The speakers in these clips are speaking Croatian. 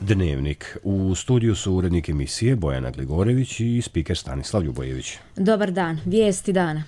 Dnevnik. U studiju su urednik emisije Bojana Gligorević i spiker Stanislav Ljubojević. Dobar dan, vijesti dana.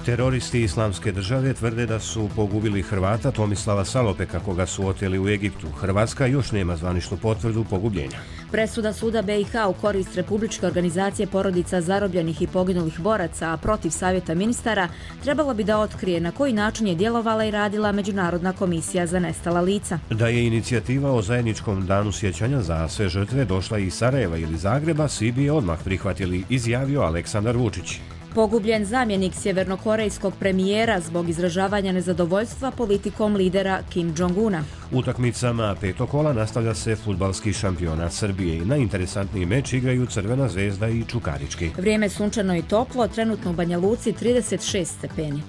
Teroristi Islamske države tvrde da su pogubili Hrvata Tomislava Salopeka, koga su oteli u Egiptu. Hrvatska još nema zvaničnu potvrdu pogubljenja. Presuda suda BiH u korist Republičke organizacije porodica zarobljenih i poginulih boraca, a protiv Savjeta ministara, trebalo bi da otkrije na koji način je djelovala i radila Međunarodna komisija za nestala lica. Da je inicijativa o zajedničkom danu sjećanja za sve žrtve došla iz Sarajeva ili Zagreba, svi bi je odmah prihvatili, izjavio Aleksandar Vučić. Pogubljen zamjenik sjevernokorejskog premijera zbog izražavanja nezadovoljstva politikom lidera Kim Jong-una. Utakmicama petog kola nastavlja se fudbalski šampionat Srbije i najinteresantniji meč igraju Crvena zvezda i Čukarički. Vrijeme sunčano i toplo, trenutno u Banja Luci 36 stepeni.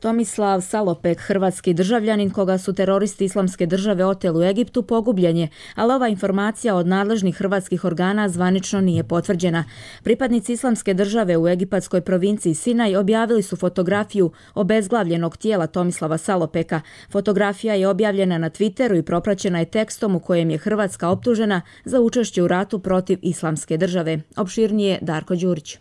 Tomislav Salopek, hrvatski državljanin koga su teroristi Islamske države oteli u Egiptu, pogubljen je, ali ova informacija od nadležnih hrvatskih organa zvanično nije potvrđena. Pripadnici Islamske države u egipatskoj provinciji Sinaj objavili su fotografiju obezglavljenog tijela Tomislava Salopeka. Fotografija je objavljena na Twitteru i propraćena je tekstom u kojem je Hrvatska optužena za učešće u ratu protiv Islamske države. Opširnije Darko Đurić.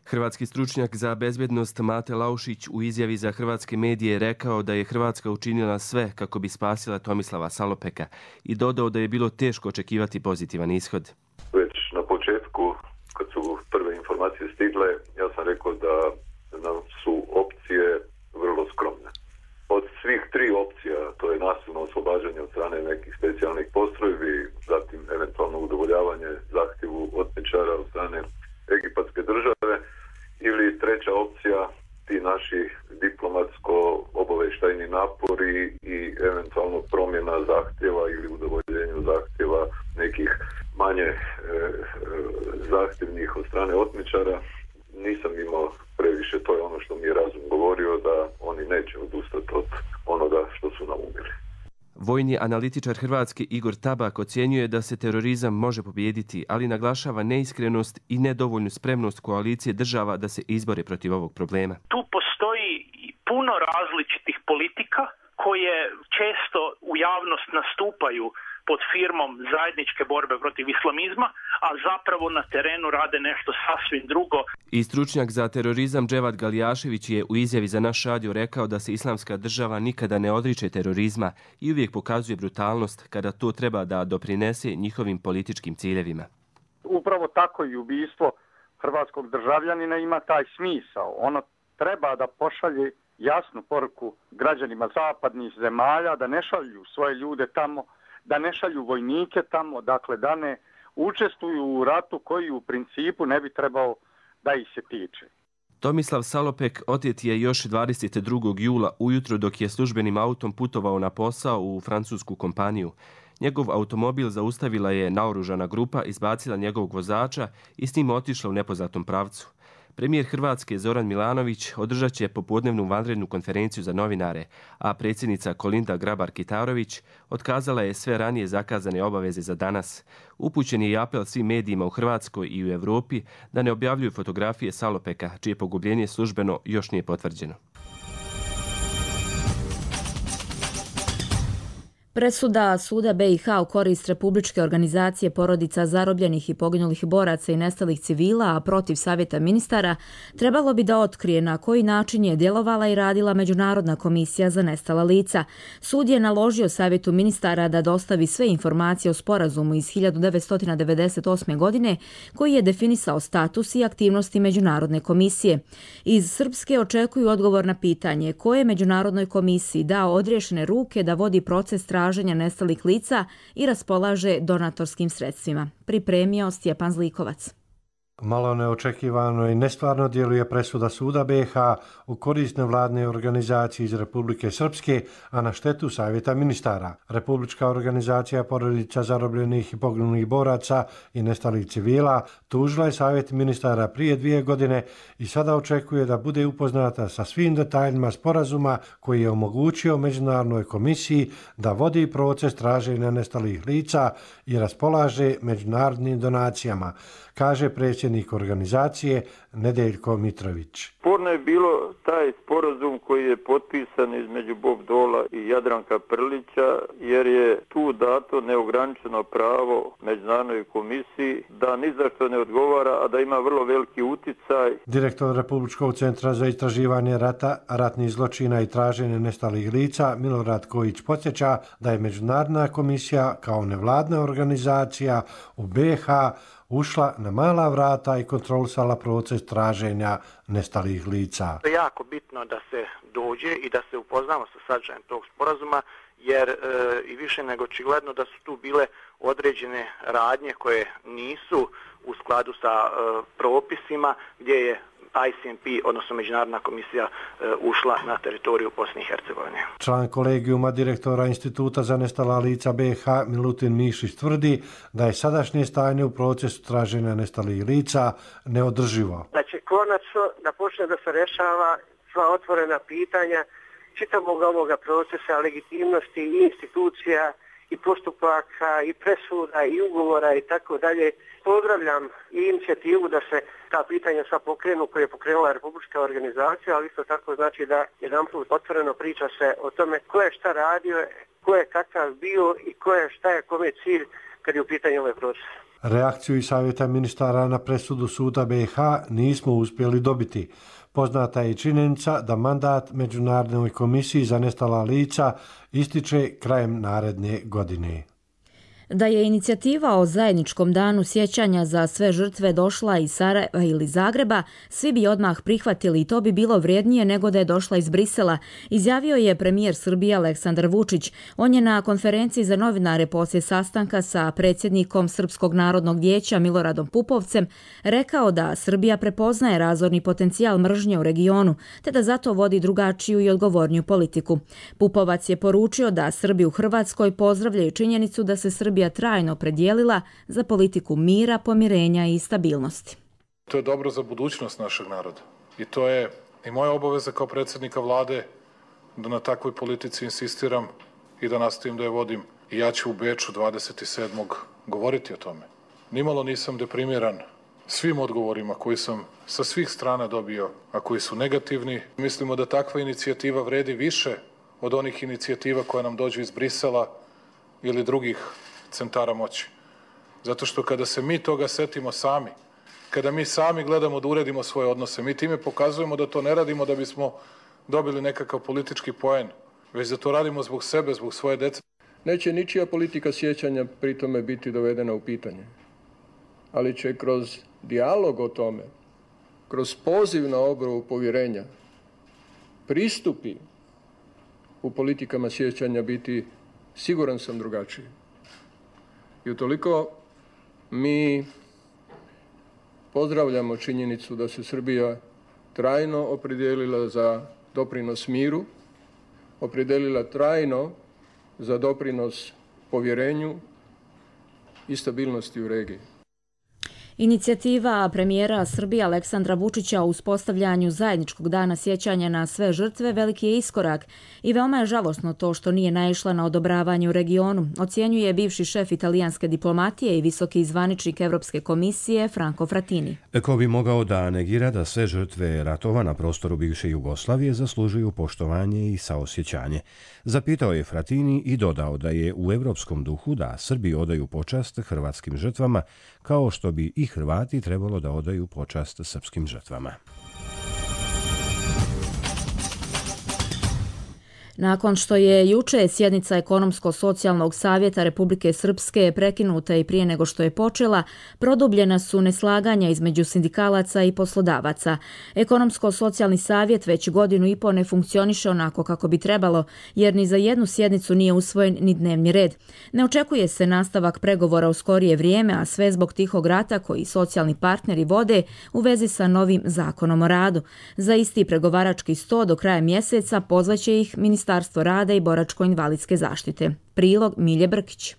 Hrvatski stručnjak za bezbednost Mate Laušić u izjavi za hrvatske medije rekao da je Hrvatska učinila sve kako bi spasila Tomislava Salopeka i dodao da je bilo teško očekivati pozitivan ishod. Već na početku, kad su prve informacije stigle, ja sam rekao da nam su opcije vrlo skromne. Od svih tri opcija, to je nasilno oslobađanje od strane nekih specijalnih postrojbi, zatim eventualno udovoljavanje zahtjevu otmičara od strane egipatske države, ili treća opcija, ti naši diplomatsko-obavještajni napori i eventualno promjena zahtjeva ili udovoljenju zahtjeva nekih manje zahtjevnih od strane otmičara. Nisam imao previše, to je ono što mi je razum govorio, da oni neće odustati od onoga što su naumili. Vojni analitičar Hrvatske Igor Tabak ocjenjuje da se terorizam može pobijediti, ali naglašava neiskrenost i nedovoljnu spremnost koalicije država da se izbore protiv ovog problema. Tu postoji puno različitih politika koje često u javnost nastupaju pod firmom zajedničke borbe protiv islamizma, a zapravo na terenu rade nešto sasvim drugo. I stručnjak za terorizam Dževad Galijašević je u izjavi za naš radio rekao da se Islamska država nikada ne odriče terorizma i uvijek pokazuje brutalnost kada to treba da doprinese njihovim političkim ciljevima. Upravo tako i ubistvo hrvatskog državljanina ima taj smisao. Ono treba da pošalje jasnu poruku građanima zapadnih zemalja da ne šalju svoje ljude tamo, da ne šalju vojnike tamo, dakle da ne učestvuju u ratu koji u principu ne bi trebao da ih se tiče. Tomislav Salopek otet je još 22. jula ujutro dok je službenim autom putovao na posao u francusku kompaniju. Njegov automobil zaustavila je naoružana grupa, izbacila njegovog vozača i s njim otišla u nepoznatom pravcu. Premijer Hrvatske Zoran Milanović održat će popodnevnu vanrednu konferenciju za novinare, a predsjednica Kolinda Grabar-Kitarović otkazala je sve ranije zakazane obaveze za danas. Upućen je i apel svim medijima u Hrvatskoj i u Europi da ne objavljuju fotografije Salopeka, čije pogubljenje službeno još nije potvrđeno. Presuda suda BiH u korist Republičke organizacije porodica zarobljenih i poginulih boraca i nestalih civila, a protiv Savjeta ministara, trebalo bi da otkrije na koji način je djelovala i radila Međunarodna komisija za nestala lica. Sud je naložio Savjetu ministara da dostavi sve informacije o sporazumu iz 1998. godine koji je definisao status i aktivnosti Međunarodne komisije. Iz Srpske očekuju odgovor na pitanje ko je Međunarodnoj komisiji dao odriješene ruke da vodi proces traženja nestalih lica i raspolaže donatorskim sredstvima. Pripremio Stjepan Zlikovac. Malo neočekivano i nestvarno djeluje presuda suda BiH u korist nevladne organizacije iz Republike Srpske, a na štetu Savjeta ministara. Republička organizacija porodica zarobljenih i poginulih boraca i nestalih civila tužila je Savjet ministara prije 2 godine i sada očekuje da bude upoznata sa svim detaljima sporazuma koji je omogućio Međunarodnoj komisiji da vodi proces traženja nestalih lica i raspolaže međunarodnim donacijama. kaže predsjednik organizacije Nedeljko Mitrović. Sporno je bilo taj sporazum koji je potpisan između Bob Dola i Jadranka Prlića, jer je tu dato neograničeno pravo Međunarodnoj komisiji da ni za što ne odgovara, a da ima vrlo veliki uticaj. Direktor Republičkog centra za istraživanje rata, ratnih zločina i traženje nestalih lica Milorad Kojić podsjeća da je Međunarodna komisija kao nevladna organizacija u BiH ušla na mala vrata i kontrolisala proces traženja nestalih lica. To je jako bitno da se dođe i da se upoznamo sa sadržajem tog sporazuma, jer i više nego očigledno da su tu bile određene radnje koje nisu u skladu sa propisima, gdje je ICMP, odnosno Međunarodna komisija, ušla na teritoriju Bosne i Hercegovine. Član kolegijuma direktora Instituta za nestala lica BiH Milutin Mišić tvrdi da je sadašnje stanje u procesu traženja nestalih lica neodrživo. Da će konačno da počne da se rešava sva otvorena pitanja čitavog ovoga procesa legitimnosti i institucija i postupaka i presuda i ugovora i tako dalje. Pozdravljam i inicijativu da se ta pitanja sva pokrenu koje je pokrenula Republička organizacija, ali isto tako znači da jedanput otvoreno priča se o tome ko je šta radio, ko je kakav bio i ko je šta je kome cilj kad je u pitanju ovaj proces. Reakciju i savjeta ministara na presudu suda BiH nismo uspjeli dobiti. Poznata je činjenica da mandat Međunarodnoj komisiji za nestala lica ističe krajem naredne godine. Da je inicijativa o zajedničkom danu sjećanja za sve žrtve došla iz Sarajeva ili Zagreba, svi bi odmah prihvatili i to bi bilo vrijednije nego da je došla iz Brisela, izjavio je premijer Srbije Aleksandar Vučić. On je na konferenciji za novinare poslije sastanka sa predsjednikom Srpskog narodnog vijeća Miloradom Pupovcem rekao da Srbija prepoznaje razorni potencijal mržnje u regionu, te da zato vodi drugačiju i odgovorniju politiku. Pupovac je poručio da Srbi u Hrvatskoj pozdravljaju činjenicu da se Srbija trajno predijelila za politiku mira, pomirenja i stabilnosti. To je dobro za budućnost našeg naroda i to je i moja obaveza kao predsjednika vlade da na takvoj politici insistiram i da nastavim da je vodim. I ja ću u Beču 27. govoriti o tome. Nimalo nisam deprimiran svim odgovorima koji sam sa svih strana dobio, a koji su negativni. Mislimo da takva inicijativa vredi više od onih inicijativa koja nam dođu iz Brisela ili drugih centara moći. Zato što kada se mi toga setimo sami, kada mi sami gledamo da uredimo svoje odnose, mi time pokazujemo da to ne radimo da bismo dobili nekakav politički poen, već da to radimo zbog sebe, zbog svoje dece. Neće ničija politika sjećanja pri tome biti dovedena u pitanje, ali će kroz dijalog o tome, kroz poziv na obnovu povjerenja, pristupi u politikama sjećanja biti, siguran sam, drugačiji. I utoliko mi pozdravljamo činjenicu da se Srbija trajno opredijelila za doprinos miru, opredijelila trajno za doprinos povjerenju i stabilnosti u regiji. Inicijativa premijera Srbije Aleksandra Vučića u uspostavljanju zajedničkog dana sjećanja na sve žrtve veliki je iskorak i veoma je žalosno to što nije naišla na odobravanje u regionu, ocjenjuje bivši šef italijanske diplomatije i visoki zvaničnik Evropske komisije Franco Frattini. Ko bi mogao da negira da sve žrtve ratova na prostoru bivše Jugoslavije zaslužuju poštovanje i saosjećanje. Zapitao je Frattini i dodao da je u evropskom duhu da Srbi odaju počast hrvatskim žrtvama, kao što bi i Hrvati trebalo da odaju počast srpskim žrtvama. Nakon što je juče sjednica Ekonomsko-socijalnog savjeta Republike Srpske prekinuta i prije nego što je počela, produbljena su neslaganja između sindikalaca i poslodavaca. Ekonomsko-socijalni savjet već godinu i po ne funkcioniše onako kako bi trebalo, jer ni za jednu sjednicu nije usvojen ni dnevni red. Ne očekuje se nastavak pregovora u skorije vrijeme, a sve zbog tihog rata koji socijalni partneri vode u vezi sa novim zakonom o radu. Za isti pregovarački sto do kraja mjeseca pozvaće ih Ministarstvo rada i boračko-invalidske zaštite. Prilog Milje Brkić.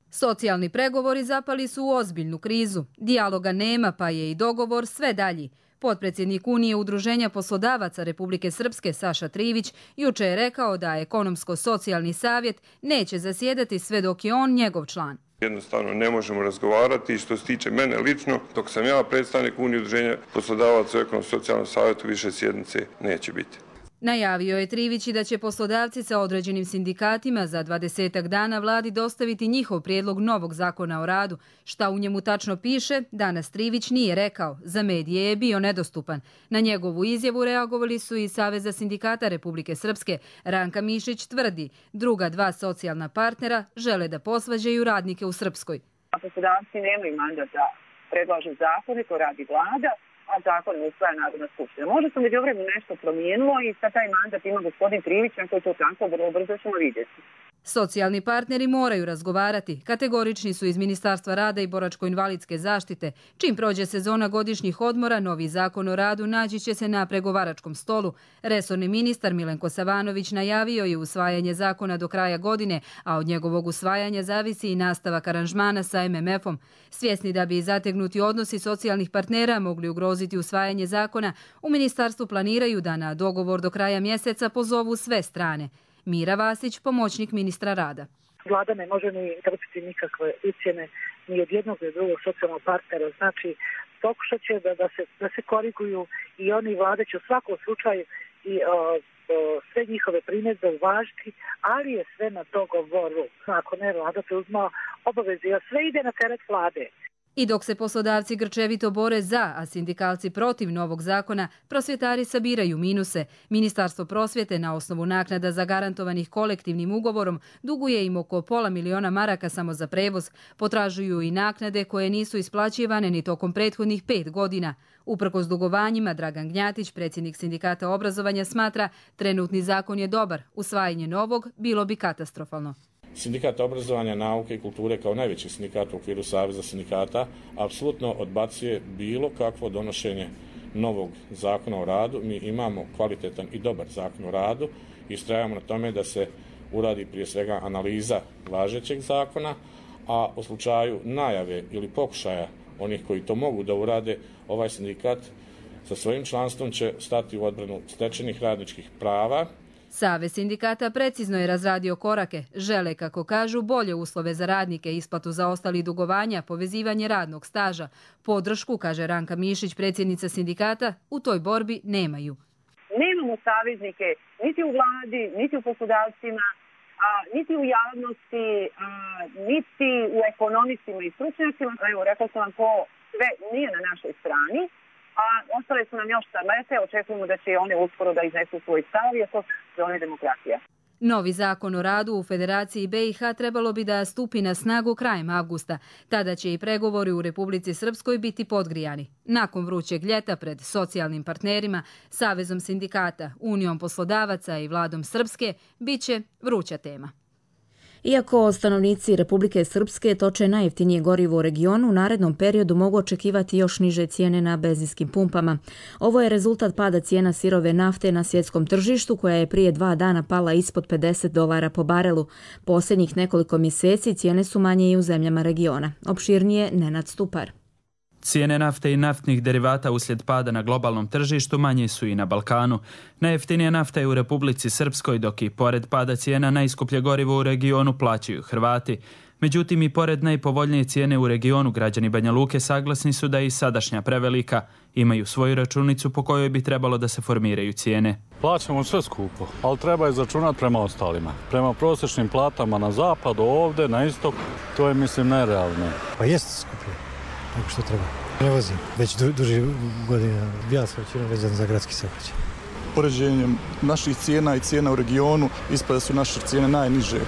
Socijalni pregovori zapali su u ozbiljnu krizu. Dijaloga nema, pa je i dogovor sve dalji. Potpredsjednik Unije Udruženja poslodavaca Republike Srpske Saša Trivić juče je rekao da Ekonomsko-socijalni savjet neće zasjedati sve dok je on njegov član. Jednostavno ne možemo razgovarati i što se tiče mene lično, dok sam ja predstavnik Unije udruženja poslodavaca u Ekonomsko-socijalnom savjetu više sjednice neće biti. Najavio je Trivić i da će poslodavci sa određenim sindikatima za 20 dana vladi dostaviti njihov prijedlog novog zakona o radu. Šta u njemu tačno piše, danas Trivić nije rekao. Za medije je bio nedostupan. Na njegovu izjavu reagovali su i Saveza sindikata Republike Srpske. Ranka Mišić tvrdi, druga dva socijalna partnera žele da posvađaju radnike u Srpskoj. Poslodavci nemaju mandat da predlažu zakone, to radi vlada, a zakon usvaja Narodna skupština. Možda se među vremenu nešto promijenilo i sad taj mandat ima gospodin Trivić, koji to tako vrlo brzo ćemo vidjeti. Socijalni partneri moraju razgovarati. Kategorični su iz Ministarstva rada i boračko-invalidske zaštite. Čim prođe sezona godišnjih odmora, novi zakon o radu naći će se na pregovaračkom stolu. Resorni ministar Milenko Savanović najavio je usvajanje zakona do kraja godine, a od njegovog usvajanja zavisi i nastavak aranžmana sa MMF-om. Svjesni da bi zategnuti odnosi socijalnih partnera mogli ugroziti usvajanje zakona, u ministarstvu planiraju da na dogovor do kraja mjeseca pozovu sve strane. Mira Vasić, pomoćnik ministra rada. Vlada ne može ni trpiti nikakve ucjene ni od jednog ni od drugog socijalnog partnera. Znači, pokušat će da se koriguju i oni vlade će u svakom slučaju i sve njihove primjedbe uvažiti, ali je sve na dogovoru. Ako ne, vlada preuzma obaveze, a sve ide na teret vlade. I dok se poslodavci grčevito bore za, a sindikalci protiv novog zakona, prosvjetari sabiraju minuse. Ministarstvo prosvjete na osnovu naknada zagarantovanih kolektivnim ugovorom duguje im oko $500.000 maraka samo za prevoz. Potražuju i naknade koje nisu isplaćivane ni tokom prethodnih 5 godina. Uprkos dugovanjima, Dragan Gnjatić, predsjednik sindikata obrazovanja, smatra trenutni zakon je dobar. Usvajanje novog bilo bi katastrofalno. Sindikat obrazovanja, nauke i kulture kao najveći sindikat u okviru Saveza sindikata apsolutno odbacuje bilo kakvo donošenje novog zakona o radu. Mi imamo kvalitetan i dobar zakon o radu i istrajavamo na tome da se uradi prije svega analiza važećeg zakona, a u slučaju najave ili pokušaja onih koji to mogu da urade, ovaj sindikat sa svojim članstvom će stati u odbranu stečenih radničkih prava. Savez sindikata precizno je razradio korake. Žele, kako kažu, bolje uslove za radnike, isplatu zaostalih dugovanja, povezivanje radnog staža. Podršku, kaže Ranka Mišić, predsjednica sindikata, u toj borbi nemaju. Nemamo saveznike niti u vladi, niti u poslodavcima, niti u javnosti, niti u ekonomistima i stručnjacima. Evo, rekla sam vam, to sve nije na našoj strani. A ostale su nam još starlete, očekujemo da će one uskoro da iznesu svoj stav, jer to je demokratija. Novi zakon o radu u Federaciji BiH trebalo bi da stupi na snagu krajem avgusta. Tada će i pregovori u Republici Srpskoj biti podgrijani. Nakon vrućeg ljeta pred socijalnim partnerima, Savezom sindikata, Unijom poslodavaca i Vladom Srpske bit će vruća tema. Iako stanovnici Republike Srpske toče najjeftinije gorivo u regionu, u narednom periodu mogu očekivati još niže cijene na benzinskim pumpama. Ovo je rezultat pada cijena sirove nafte na svjetskom tržištu, koja je prije 2 dana pala ispod $50 po barelu. Posljednjih nekoliko mjeseci cijene su manje i u zemljama regiona. Opširnije Nenad Stupar. Cijene nafte i naftnih derivata uslijed pada na globalnom tržištu manje su i na Balkanu. Najjeftinija nafta je u Republici Srpskoj, dok i pored pada cijena najskuplje gorivo u regionu plaćaju Hrvati. Međutim, i pored najpovoljnije cijene u regionu, građani Banja Luke saglasni su da je i sadašnja prevelika. Imaju svoju računicu po kojoj bi trebalo da se formiraju cijene. Plaćamo sve skupo, ali treba izračunati prema ostalima. Prema prosječnim platama na zapadu, ovdje, na istok, to je, mislim, nerealno. Pa jeste skuplje, tako što treba. Ne vozim, već duži godina. Ja sam većinom vezan za gradski saobraćaj. Poređenjem naših cijena i cijena u regionu ispada su naše cijene najniže.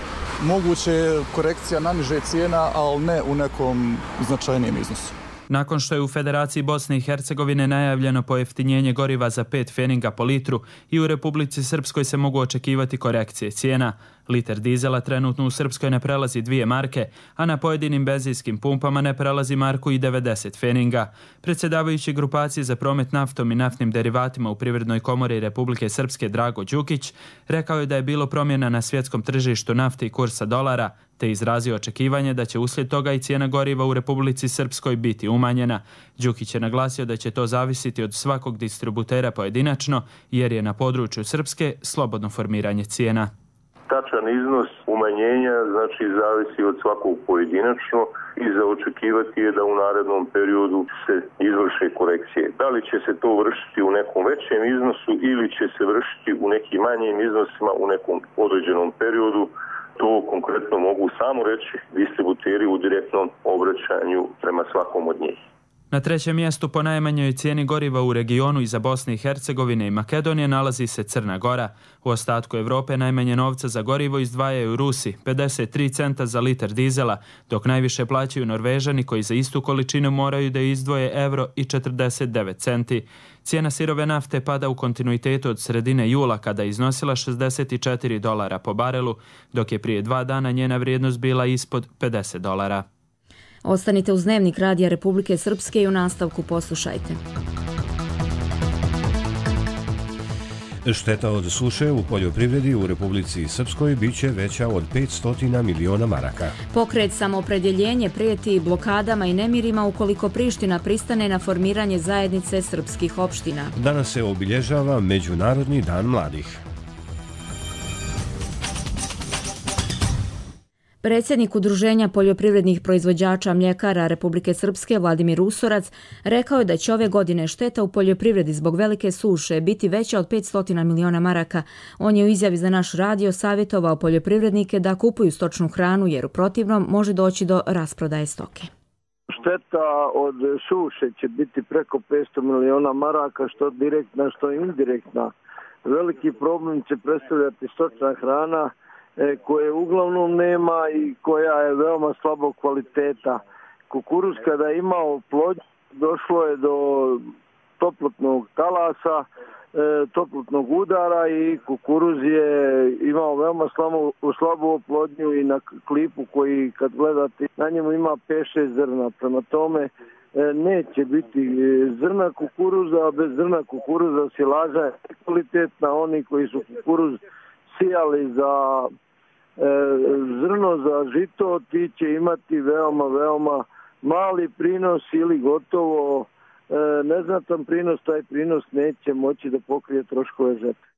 Moguće je korekcija na niže cijena, ali ne u nekom značajnijem iznosu. Nakon što je u Federaciji Bosne i Hercegovine najavljeno pojeftinjenje goriva za 5 pfeninga po litru, i u Republici Srpskoj se mogu očekivati korekcije cijena. Liter dizela trenutno u Srpskoj ne prelazi 2 marke, a na pojedinim benzinskim pumpama ne prelazi marku i 90 pfeninga. Predsjedavajući grupacije za promet naftom i naftnim derivatima u Privrednoj komori Republike Srpske Drago Đukić rekao je da je bilo promjena na svjetskom tržištu nafte i kursa dolara, te izrazio očekivanje da će uslijed toga i cijena goriva u Republici Srpskoj biti umanjena. Đukić je naglasio da će to zavisiti od svakog distributera pojedinačno, jer je na području Srpske slobodno formiranje cijena. Tačan iznos umanjenja znači zavisi od svakog pojedinačno i za očekivati je da u narednom periodu se izvrše korekcije. Da li će se to vršiti u nekom većem iznosu ili će se vršiti u nekim manjim iznosima u nekom određenom periodu, to konkretno mogu samo reći distributeri u direktnom obraćanju prema svakom od njih. Na trećem mjestu po najmanjoj cijeni goriva u regionu iza Bosne i Hercegovine i Makedonije nalazi se Crna Gora. U ostatku Europe najmanje novca za gorivo izdvajaju Rusi, 53 centa za litar dizela, dok najviše plaćaju Norvežani koji za istu količinu moraju da izdvoje euro i 49 centi. Cijena sirove nafte pada u kontinuitetu od sredine jula kada je iznosila $64 po barelu, dok je prije 2 dana njena vrijednost bila ispod $50. Ostanite uz Dnevnik Radija Republike Srpske i u nastavku poslušajte. Šteta od suše u poljoprivredi u Republici Srpskoj biće veća od 500 miliona maraka. Pokret Samoopredjeljenje prijeti blokadama i nemirima ukoliko Priština pristane na formiranje zajednice srpskih opština. Danas se obilježava Međunarodni dan mladih. Predsjednik Udruženja poljoprivrednih proizvođača mljekara Republike Srpske Vladimir Usorac rekao je da će ove godine šteta u poljoprivredi zbog velike suše biti veća od 500 miliona maraka. On je u izjavi za naš radio savjetovao poljoprivrednike da kupuju stočnu hranu jer u protivnom može doći do rasprodaje stoke. Šteta od suše će biti preko 500 miliona maraka, što direktna, što indirektna. Veliki problem će predstavljati stočna hrana koje uglavnom nema i koja je veoma slabog kvaliteta. Kukuruz kada je imao plodnju došlo je do toplotnog talasa, toplotnog udara i kukuruz je imao veoma slabu oplodnju i na klipu koji kad gledate na njemu ima 5-6 zrna. Prema tome neće biti zrna kukuruza, bez zrna kukuruza silaža je kvalitetna. Oni koji su kukuruz sijali za zrno, za žito, ti će imati veoma mali prinos ili gotovo neznatan prinos. Taj prinos neće moći da pokrije troškove žetve.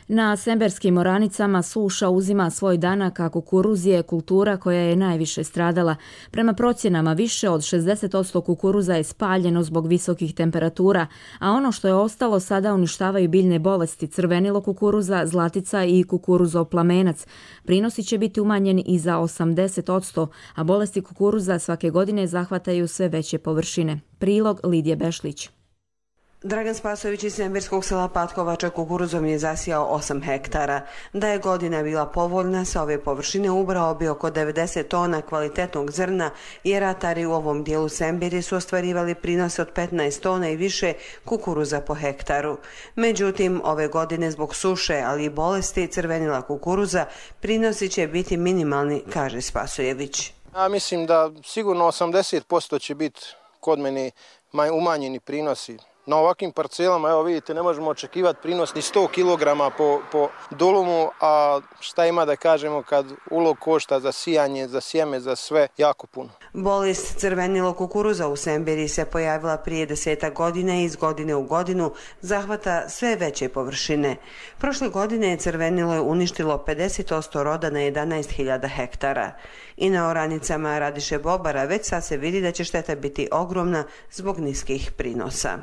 Na semberskim oranicama suša uzima svoj danak, a kukuruz je kultura koja je najviše stradala. Prema procjenama više od 60% kukuruza je spaljeno zbog visokih temperatura, a ono što je ostalo sada uništavaju biljne bolesti, crvenilo kukuruza, zlatica i kukuruzov plamenac. Prinosi će biti umanjeni i za 80%, a bolesti kukuruza svake godine zahvataju sve veće površine. Prilog Lidije Bešlić. Dragan Spasojević iz semberskog sela Patkovača kukuruzom je zasijao 8 hektara. Da je godina bila povoljna, sa ove površine ubrao bi oko 90 tona kvalitetnog zrna, jer ratari u ovom dijelu Semberije su ostvarivali prinose od 15 tona i više kukuruza po hektaru. Međutim, ove godine zbog suše, ali i bolesti crvenila kukuruza, prinosi će biti minimalni, kaže Spasojević. Ja mislim da sigurno 80% će biti kod mene umanjeni prinosi. Na ovakvim parcelama, evo vidite, ne možemo očekivati prinos ni 100 kg po dolumu, a šta ima da kažemo kad ulog košta za sijanje, za sjeme, za sve, jako puno. Bolest crvenilo kukuruza u Semberiji se pojavila prije 10 godina i iz godine u godinu zahvata sve veće površine. Prošle godine crvenilo je uništilo 50% roda na 11.000 hektara. I na oranicama Radiše Bobara već sad se vidi da će šteta biti ogromna zbog niskih prinosa.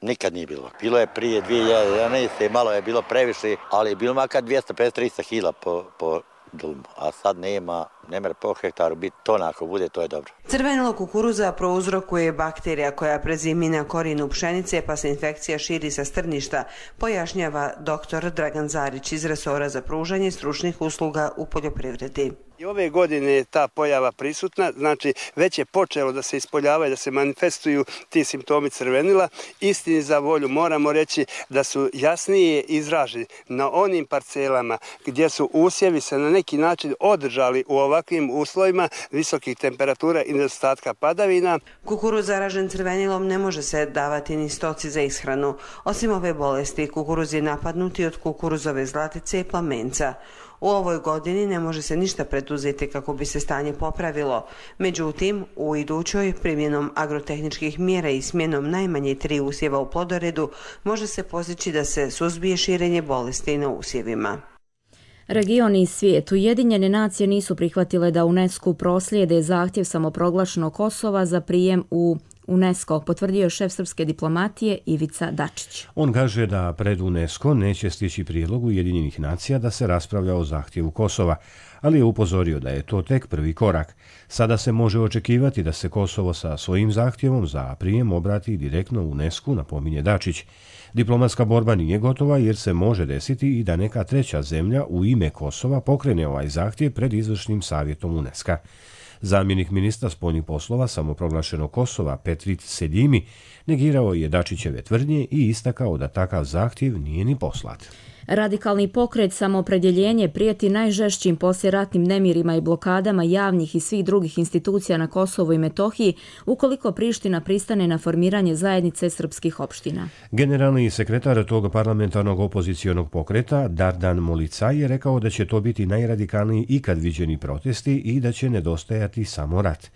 Nikad nije bilo. Bilo je prije 2011. malo je bilo previše, ali je bilo makar 250-300 kila po dulmu, a sad nema, ne mre po hektaru biti tona, ako bude, to je dobro. Crvenilo kukuruza prouzrokuje bakterija koja prezimi na korijenu pšenice pa se infekcija širi sa strništa, pojašnjava dr. Dragan Zarić iz resora za pružanje stručnih usluga u poljoprivredi. I ove godine je ta pojava prisutna, znači već je počelo da se ispoljavaju, da se manifestuju ti simptomi crvenila. Istini za volju moramo reći da su jasnije izraženi na onim parcelama gdje su usjevi se na neki način održali u ovakvim uslovima visokih temperatura i nedostatka padavina. Kukuruz zaražen crvenilom ne može se davati ni stoci za ishranu. Osim ove bolesti, kukuruz je napadnuti od kukuruzove zlatice i plamenca. U ovoj godini ne može se ništa preduzeti kako bi se stanje popravilo. Međutim, u idućoj primjenom agrotehničkih mjera i smjenom najmanje 3 usjeva u plodoredu može se postići da se suzbije širenje bolesti na usjevima. Region i svijet. Ujedinjene nacije nisu prihvatile da UNESCO proslijede zahtjev samoproglašenog Kosova za prijem u UNESCO, potvrdio šef srpske diplomatije Ivica Dačić. On kaže da pred UNESCO neće stići prijedlog Ujedinjenih nacija da se raspravlja o zahtjevu Kosova, ali je upozorio da je to tek prvi korak. Sada se može očekivati da se Kosovo sa svojim zahtjevom za prijem obrati direktno UNESCO, napominje Dačić. Diplomatska borba nije gotova jer se može desiti i da neka treća zemlja u ime Kosova pokrene ovaj zahtjev pred izvršnim savjetom UNESCO. Zamjenik ministra spoljnih poslova samoproglašenog Kosova Petrit Seljimi negirao je Dačićeve tvrdnje i istakao da takav zahtjev nije ni poslat. Radikalni pokret Samoopredjeljenje prijeti najžešćim poslijeratnim nemirima i blokadama javnih i svih drugih institucija na Kosovu i Metohiji ukoliko Priština pristane na formiranje zajednice srpskih opština. Generalni sekretar tog parlamentarnog opozicionog pokreta, Dardan Molicaj, je rekao da će to biti najradikalniji ikad viđeni protesti i da će nedostajati samo rat.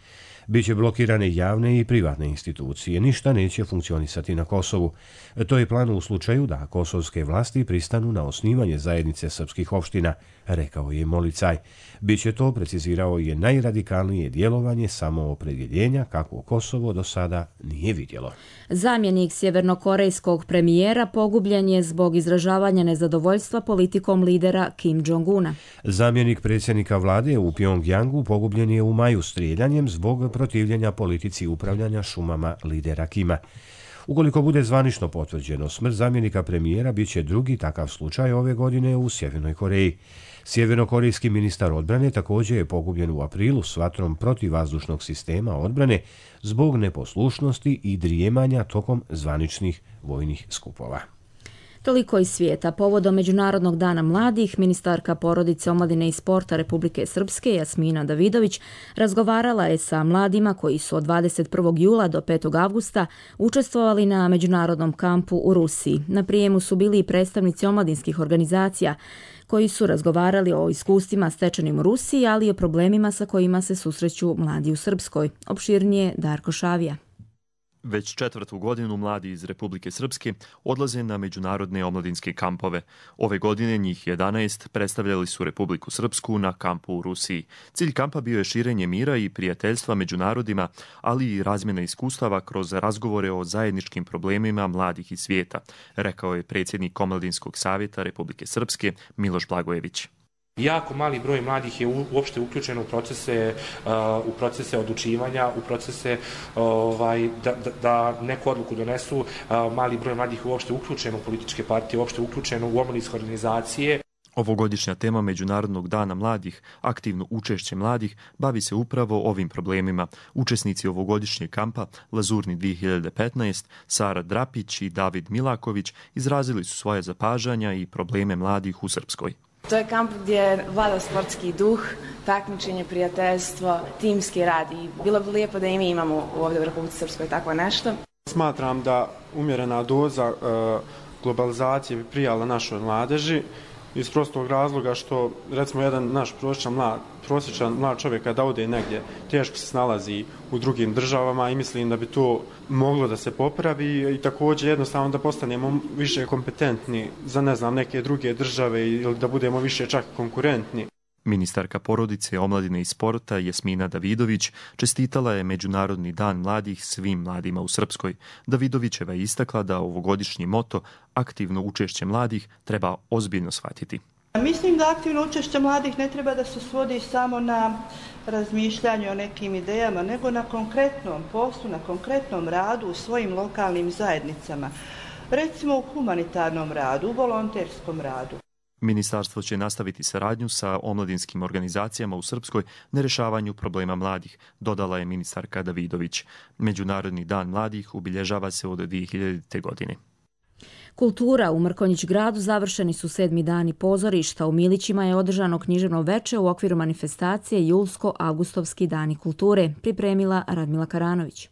Biće blokirane javne i privatne institucije, ništa neće funkcionisati na Kosovu. To je plan u slučaju da kosovske vlasti pristanu na osnivanje zajednice srpskih opština, rekao je Molicaj. Biće to, precizirao je, najradikalnije djelovanje samoopredjeljenja kako Kosovo do sada nije vidjelo. Zamjenik sjevernokorejskog premijera pogubljen je zbog izražavanja nezadovoljstva politikom lidera Kim Jong-una. Zamjenik predsjednika vlade u Pjongjangu pogubljen je u maju strijeljanjem zbog protivljenja politici upravljanja šumama lidera Kima. Ukoliko bude zvanično potvrđeno, smrt zamjenika premijera bit će drugi takav slučaj ove godine u Sjevernoj Koreji. Sjevernokorejski ministar odbrane također je pogubljen u aprilu s vatrom protivvazdušnog sistema odbrane zbog neposlušnosti i drijemanja tokom zvaničnih vojnih skupova. Toliko iz svijeta. Povodom Međunarodnog dana mladih, ministarka porodice, omladine i sporta Republike Srpske Jasmina Davidović razgovarala je sa mladima koji su od 21. jula do 5. avgusta učestvovali na međunarodnom kampu u Rusiji. Na prijemu su bili i predstavnici omladinskih organizacija koji su razgovarali o iskustvima stečenim u Rusiji, ali i o problemima sa kojima se susreću mladi u Srpskoj. Opširnije Darko Šavija. Već 4. godinu mladi iz Republike Srpske odlaze na međunarodne omladinske kampove. Ove godine njih 11 predstavljali su Republiku Srpsku na kampu u Rusiji. Cilj kampa bio je širenje mira i prijateljstva među narodima, ali i razmjena iskustava kroz razgovore o zajedničkim problemima mladih iz svijeta, rekao je predsjednik Omladinskog savjeta Republike Srpske Miloš Blagojević. Jako mali broj mladih je uopšte uključen u procese odlučivanja, u procese da neku odluku donesu. Mali broj mladih je uopšte uključen u političke partije, uopšte uključen u omladinske organizacije. Ovogodišnja tema Međunarodnog dana mladih, aktivno učešće mladih, bavi se upravo ovim problemima. Učesnici ovogodišnjeg kampa Lazurni 2015, Sara Drapić i David Milaković izrazili su svoje zapažanja i probleme mladih u Srpskoj. To je kamp gdje vlada sportski duh, takmičenje, prijateljstvo, timski rad i bilo bi lijepo da i mi imamo ovdje u Republici Srpskoj takvo nešto. Smatram da umjerena doza globalizacije bi prijala našoj mladeži iz prostog razloga što, recimo, jedan naš prosječan mlad čovjek kada ode negdje teško se snalazi u drugim državama i mislim da bi to moglo da se popravi i također jednostavno da postanemo više kompetentni za neke druge države ili da budemo više čak konkurentni. Ministarka porodice, omladine i sporta Jasmina Davidović čestitala je Međunarodni dan mladih svim mladima u Srpskoj. Davidovićeva je istakla da ovogodišnji moto aktivno učešće mladih treba ozbiljno shvatiti. Mislim da aktivno učešće mladih ne treba da se svodi samo na razmišljanje o nekim idejama, nego na konkretnom poslu, na konkretnom radu u svojim lokalnim zajednicama. Recimo u humanitarnom radu, u volonterskom radu. Ministarstvo će nastaviti saradnju sa omladinskim organizacijama u Srpskoj na rješavanju problema mladih, dodala je ministarka Davidović. Međunarodni dan mladih obilježava se od 2000. godine. Kultura u Mrkonjić gradu završeni su 7. dani pozorišta. U Milićima je održano književno veče u okviru manifestacije Julsko-Augustovski dani kulture, pripremila Radmila Karanović.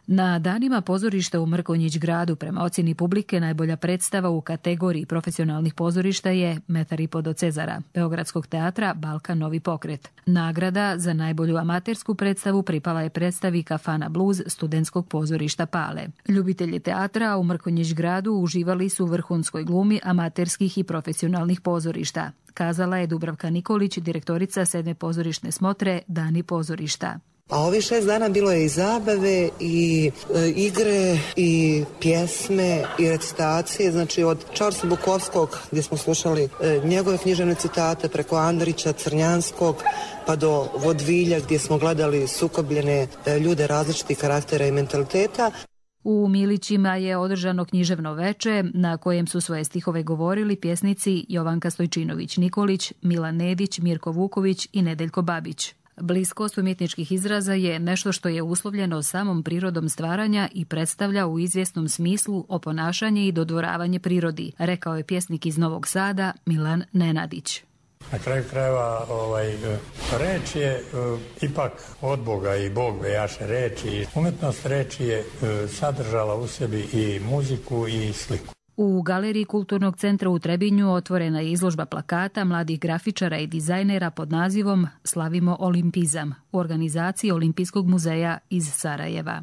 Na danima pozorišta u Mrkonjić gradu prema ocjeni publike najbolja predstava u kategoriji profesionalnih pozorišta je Metar i po do Cezara, Beogradskog teatra Balkan Novi pokret. Nagrada za najbolju amatersku predstavu pripala je predstavi Kafana Blues studentskog pozorišta Pale. Ljubitelji teatra u Mrkonjić gradu uživali su u vrhunskoj glumi amaterskih i profesionalnih pozorišta, kazala je Dubravka Nikolić, direktorica 7. pozorišne smotre Dani pozorišta. A ovih 6 dana bilo je i zabave, i igre, i pjesme, i recitacije, znači od Charlesa Bukovskog gdje smo slušali njegove književne citate preko Andrića, Crnjanskog, pa do Vodvilja gdje smo gledali sukobljene ljude različitih karaktera i mentaliteta. U Milićima je održano književno veče na kojem su svoje stihove govorili pjesnici Jovanka Stojčinović-Nikolić, Milan Nedić, Mirko Vuković i Nedeljko Babić. Bliskost umjetničkih izraza je nešto što je uslovljeno samom prirodom stvaranja i predstavlja u izvjesnom smislu oponašanje i dodvoravanje prirodi, rekao je pjesnik iz Novog Sada Milan Nenadić. Na kraju krajeva reč je ipak od Boga i Bog bejaše reči. Umjetnost reči je sadržala u sebi i muziku i sliku. U Galeriji Kulturnog centra u Trebinju otvorena je izložba plakata mladih grafičara i dizajnera pod nazivom Slavimo olimpizam u organizaciji Olimpijskog muzeja iz Sarajeva.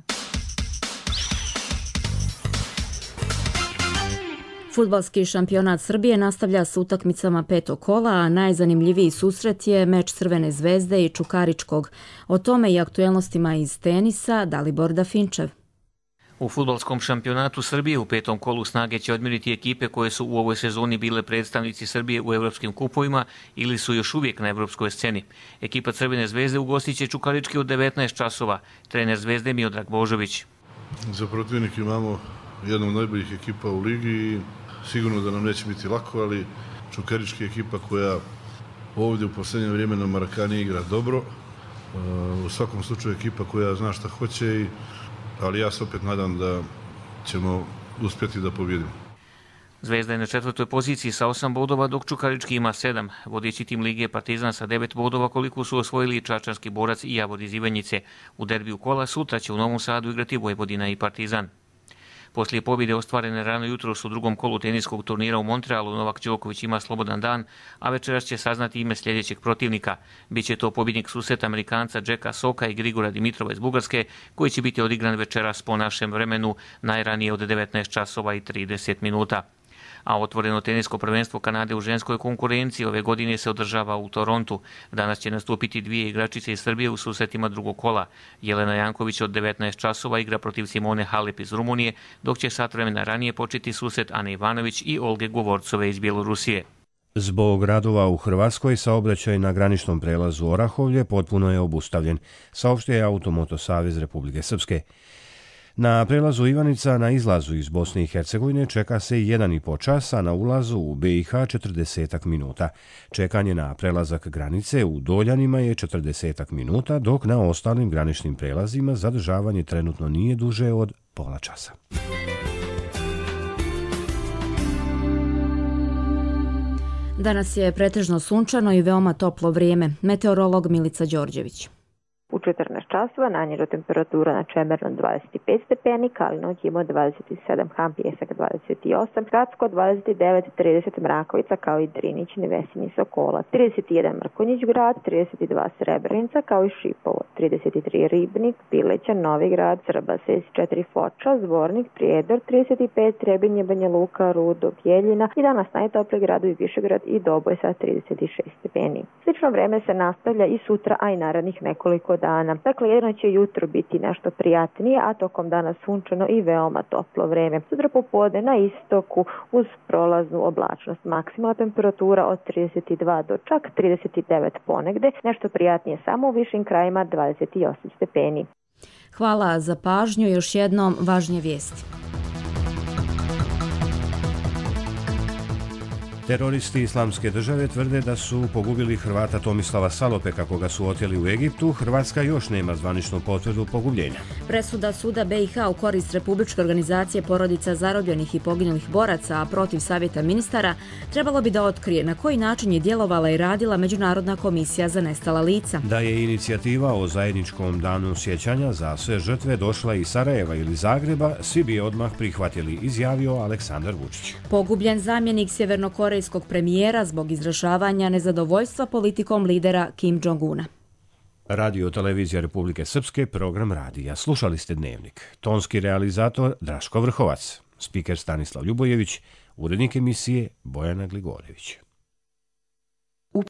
Fudbalski šampionat Srbije nastavlja s utakmicama petog kola, a najzanimljiviji susret je meč Crvene zvezde i Čukaričkog. O tome i aktuelnostima iz tenisa Dalibor Dafinčev. U fudbalskom šampionatu Srbije u petom kolu snage će odmiriti ekipe koje su u ovoj sezoni bile predstavnici Srbije u evropskim kupovima ili su još uvijek na evropskoj sceni. Ekipa Crvene zvezde ugostit će Čukarički od 19 časova. Trener Zvezde Miodrag Božović. Za protivnik imamo jednu od najboljih ekipa u ligi i sigurno da nam neće biti lako, ali Čukarički ekipa koja ovdje u posljednje vrijeme na Marakani igra dobro. U svakom slučaju ekipa koja zna šta hoće, ali ja se opet nadam da ćemo uspjeti da pobjedimo. Zvezda je na 4. poziciji sa 8 bodova, dok Čukarički ima 7. Vodeći tim lige Partizan sa 9 bodova, koliko su osvojili Čačanski Borac i Javod iz Ivanjice. U derbiju kola sutra će u Novom Sadu igrati Vojvodina i Partizan. Poslije pobjede ostvarene rano jutros u drugom kolu teniskog turnira u Montrealu, Novak Đoković ima slobodan dan, a večeras će saznati ime sljedećeg protivnika. Biće to pobjednik susreta Amerikanca Jacka Soka i Grigora Dimitrova iz Bugarske, koji će biti odigran večeras po našem vremenu, najranije od 19 časova i 30 minuta. A otvoreno tenisko prvenstvo Kanade u ženskoj konkurenciji ove godine se održava u Torontu. Danas će nastupiti dvije igračice iz Srbije u susretima drugog kola. Jelena Janković od 19 časova igra protiv Simone Halep iz Rumunije, dok će sat vremena ranije početi susret Ane Ivanović i Olge Govorcove iz Bjelorusije. Zbog radova u Hrvatskoj saobraćaj na graničnom prelazu Orahovlje potpuno je obustavljen, saopštio je Automoto savez Republike Srpske. Na prelazu Ivanica na izlazu iz Bosne i Hercegovine čeka se 1,5 časa, a na ulazu u BiH 40 minuta. Čekanje na prelazak granice u Doljanima je 40 minuta, dok na ostalim graničnim prelazima zadržavanje trenutno nije duže od pola časa. Danas je pretežno sunčano i veoma toplo vrijeme. Meteorolog Milica Đorđević. U 14 časova najniža temperatura na Čemernu 25 stepeni, Kalinoć ima 27, Ham Pjesak 28, Gradsko 29, 30 Mrakovica kao i Drinić, Nevesinji, Sokola, 31 Mrkonjić grad, 32 Srebrenica kao i Šipovo, 33 Ribnik, Pileća, Novi grad, Srba, 64 Foča, Zvornik, Prijedor, 35 Trebinje, Banja Luka, Rudo, Bjeljina i danas najtopliji gradovi Višegrad i Doboj sa 36 stepeni. Slično vreme se nastavlja i sutra, a i narednih nekoliko dana. Dakle, jedno će jutro biti nešto prijatnije, a tokom dana sunčano i veoma toplo vreme. Sutra popodne na istoku uz prolaznu oblačnost. Maksimalna temperatura od 32 do čak 39 ponegde, nešto prijatnije samo u višim krajima 28 stepeni. Hvala za pažnju, još jednom važnije vijesti. Teroristi Islamske države tvrde da su pogubili Hrvata Tomislava Salopeka, koga su oteli u Egiptu. Hrvatska još nema zvaničnu potvrdu pogubljenja. Presuda suda BiH u korist Republičke organizacije porodica zarobljenih i poginulih boraca, a protiv savjeta ministara, trebalo bi da otkrije na koji način je djelovala i radila Međunarodna komisija za nestala lica. Da je inicijativa o zajedničkom danu sjećanja za sve žrtve došla iz Sarajeva ili Zagreba, svi bi je odmah prihvatili, izjavio Aleksandar Vučić. Pogubljen zamjenik sjevernokorejskog premijera zbog izražavanja nezadovoljstva politikom lidera Kim Jong-una. Radio televizija Republike Srpske, program radija. Slušali ste Dnevnik. Tonski realizator Draško Vrhovac, spiker Stanislav Ljubojević, urednik emisije Bojana Gligorević.